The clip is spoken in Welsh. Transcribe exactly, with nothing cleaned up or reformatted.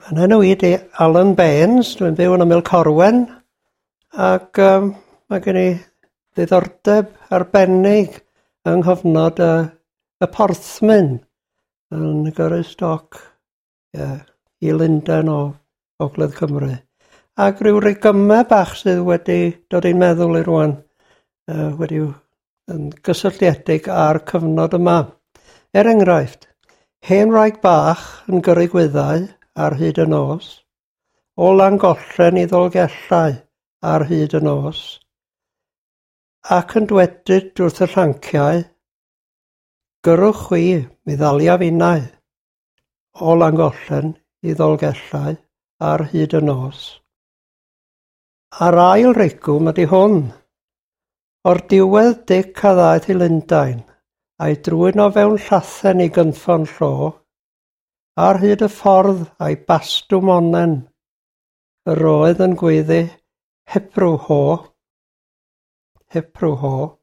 Yn enw i 'di Alan Baines, dwi'n byw yn ymyl Corwen, ac um, mae gen i ddiddordeb arbennig yng nghyfnod y, y porthmyn yn gyrru stoc, yeah, i Lundain o Ogledd Cymru. Ac rhyw rigymau bach sydd wedi dod i'n meddwl i rwan, uh, wedi yn gysylltiedig â'r cyfnod yma. Er enghraifft, hen wraig bach yn gyrru gwyddau ar hyd y nos, o Langollen i Ddolgellau ar hyd y nos, ac yn dwedyd wrth y llanciau, gyrrwch chwi, mi ddaliaf innau, o Langollen i Ddolgellau ar hyd y nos. A'r ail rigwm ydy hwn. O'r diwedd Dic a ddaeth i Lundain, a'i drwyn o fewn llathen i gynffon llo, ar hyd y ffordd a'i bastwm onnen, yr oedd yn gweiddi heprw ho, heprw ho.